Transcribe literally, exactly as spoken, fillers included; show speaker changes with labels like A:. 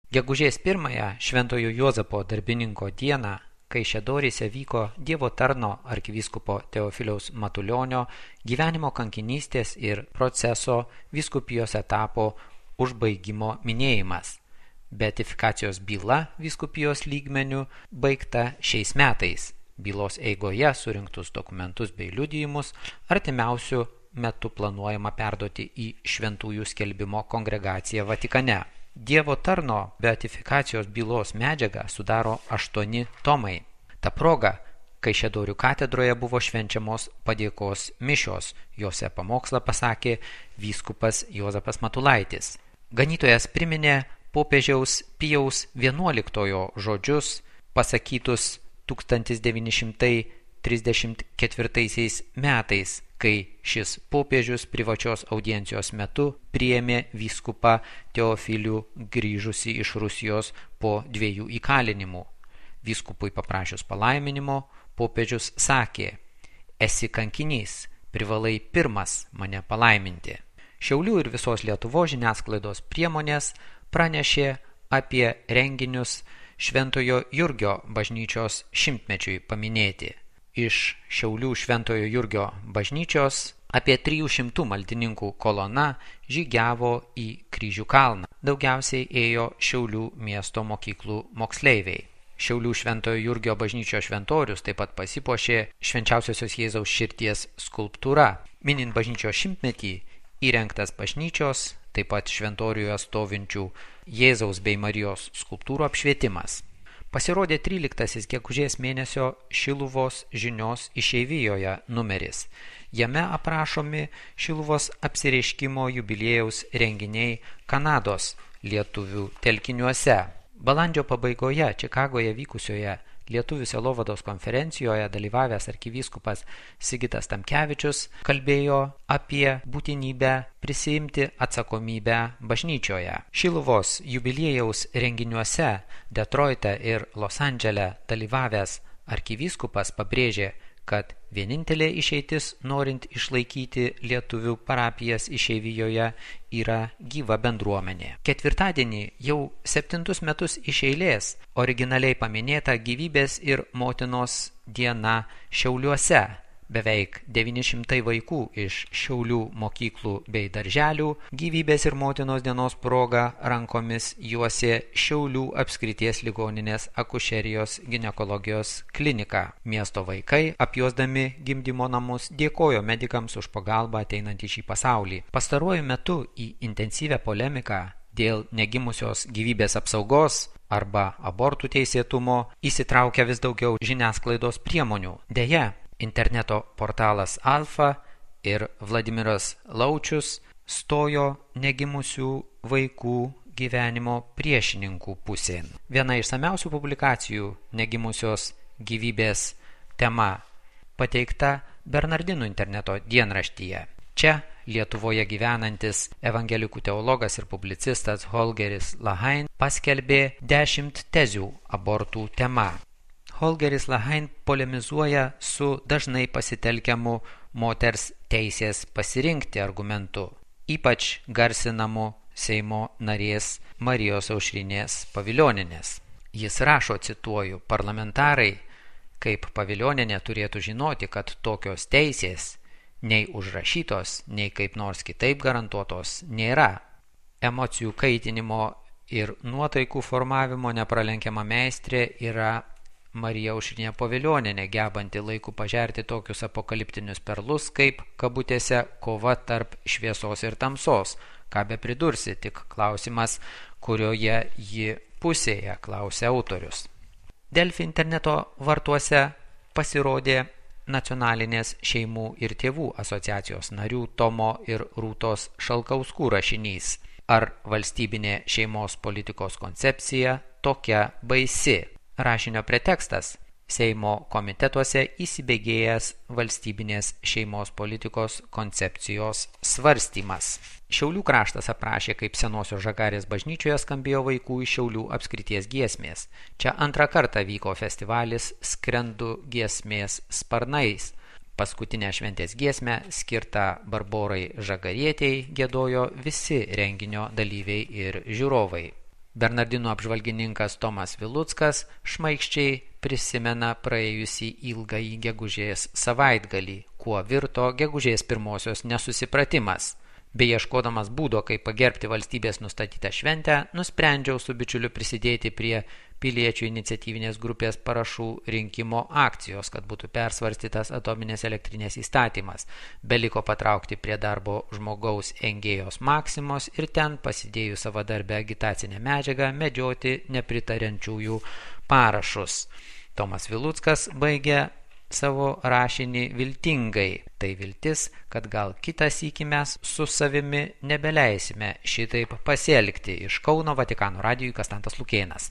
A: Gegužės pirmąją Šventojo Juozapo darbininko dieną Kaišiadoryse vyko Dievo tarno arkivyskupo Teofiliaus Matulionio gyvenimo kankinystės ir proceso vyskupijos etapo užbaigimo minėjimas. Beatifikacijos byla vyskupijos lygmeniu baigta šiais metais. Bylos eigoje surinktus dokumentus bei liudijimus artimiausiu metu planuojama perduoti į Šventųjų skelbimo kongregaciją Vatikane. Dievo tarno beatifikacijos bylos medžiagą sudaro aštuoni tomai. Ta proga Kaišiadorių katedroje buvo švenčiamos padėkos mišios. Jose pamokslą pasakė vyskupas Juozapas Matulaitis. Ganytojas priminė popiežiaus Pijaus vienuoliktojo žodžius pasakytus tūkstantis devyni šimtai trisdešimt ketvirtaisiais metais, kai šis popiežius privačios audiencijos metu priėmė vyskupą Teofilių grįžusį iš Rusijos po dviejų įkalinimų. Vyskupui paprašius palaiminimo, popiežius sakė: esi kankinys, privalai pirmas mane palaiminti. Šiaulių ir visos Lietuvos žiniasklaidos priemonės pranešė apie renginius Šventojo Jurgio bažnyčios šimtmečiui paminėti. Iš Šiaulių Šventojo Jurgio bažnyčios apie trijų šimtų maldininkų kolona žygiavo į Kryžių kalną. Daugiausiai ėjo Šiaulių miesto mokyklų moksleiviai. Šiaulių Šventojo Jurgio bažnyčios šventorius taip pat pasipuošė Švenčiausiosios Jėzaus širdies skulptūra. Minint bažnyčios šimtmetį įrengtas bažnyčios, taip pat šventoriuje stovinčių Jėzaus bei Marijos skulptūrų apšvietimas. Pasirodė tryliktasis gegužės mėnesio Šiluvos žinios išeivijoje numeris. Jame aprašomi Šiluvos apsireiškimo jubiliejaus renginiai Kanados lietuvių telkiniuose. Balandžio pabaigoje Čikagoje vykusioje Lietuvių sielovados konferencijoje dalyvavęs arkivyskupas Sigitas Tamkevičius kalbėjo apie būtinybę prisiimti atsakomybę bažnyčioje. Šiluvos jubiliejaus renginiuose Detroite ir Los Andžele dalyvavęs arkivyskupas pabrėžė, kad vienintelė išeitis norint išlaikyti lietuvių parapijas išeivijoje yra gyva bendruomenė. Ketvirtadienį jau septintus metus iš eilės originaliai paminėta gyvybės ir motinos diena Šiauliuose. Beveik devyni šimtai vaikų iš Šiaulių mokyklų bei darželių gyvybės ir motinos dienos proga rankomis juosė Šiaulių apskrities ligoninės akušerijos ginekologijos kliniką. Miesto vaikai, apjuosdami gimdymo namus, dėkojo medikams už pagalbą ateinant į šį pasaulį. Pastaruoju metu į intensyvią polemiką dėl negimusios gyvybės apsaugos arba abortų teisėtumo įsitraukia vis daugiau žiniasklaidos priemonių. Deja, interneto portalas Alfa ir Vladimiras Laučius stojo negimusių vaikų gyvenimo priešininkų pusėn. Viena išsamiausių publikacijų negimusios gyvybės tema pateikta Bernardinų interneto dienraštyje. Čia Lietuvoje gyvenantis evangelikų teologas ir publicistas Holgeris Lahain paskelbė dešimt tezių abortų tema. Holgeris Lahain polemizuoja su dažnai pasitelkiamu moters teisės pasirinkti argumentu, ypač garsinamu Seimo narės Marijos Aušrinės Pavilionienės. Jis rašo, cituoju, parlamentarai kaip Pavilionienė turėtų žinoti, kad tokios teisės nei užrašytos, nei kaip nors kitaip garantuotos nėra. Emocijų kaitinimo ir nuotaikų formavimo nepralenkiama meistrė yra Marija Aušrinė Pavilionienė, gebanti laiku pažerti tokius apokaliptinius perlus kaip, kabutėse, kova tarp šviesos ir tamsos. Ką be pridursi, tik klausimas, kurioje ji pusėje, klausia autorius. Delfi interneto vartuose pasirodė Nacionalinės šeimų ir tėvų asociacijos narių Tomo ir Rūtos Šalkauskų rašinys. Ar valstybinė šeimos politikos koncepcija tokia baisi? Rašinio pretekstas – Seimo komitetuose įsibėgėjęs valstybinės šeimos politikos koncepcijos svarstymas. Šiaulių kraštas aprašė, kaip senosios Žagarės bažnyčioje skambėjo vaikų iš Šiaulių apskrities giesmės. Čia antrą kartą vyko festivalis Skrendu giesmės sparnais. Paskutinę šventės giesmę skirtą Barborai Žagarietei giedojo visi renginio dalyviai ir žiūrovai. Bernardinų apžvalgininkas Tomas Viluckas šmaikščiai prisimena praėjusį ilgąjį gegužės savaitgalį, kuo virto gegužės pirmosios nesusipratimas. Beieškodamas būdo, kaip pagerbti valstybės nustatytą šventę, nusprendžiau su bičiuliu prisidėti prie piliečių iniciatyvinės grupės parašų rinkimo akcijos, kad būtų persvarstytas atominės elektrinės įstatymas. Beliko patraukti prie darbo žmogaus Engėjos Maksimos ir ten, pasidėjus savadarbę agitacinę medžiagą, medžioti nepritariančiųjų parašus. Tomas Viluckas baigė savo rašinį viltingai. Tai viltis, kad gal kitą sykį mes su savimi nebeleisime šitaip pasielgti. Iš Kauno Vatikano radijui Kastantas Lukėnas.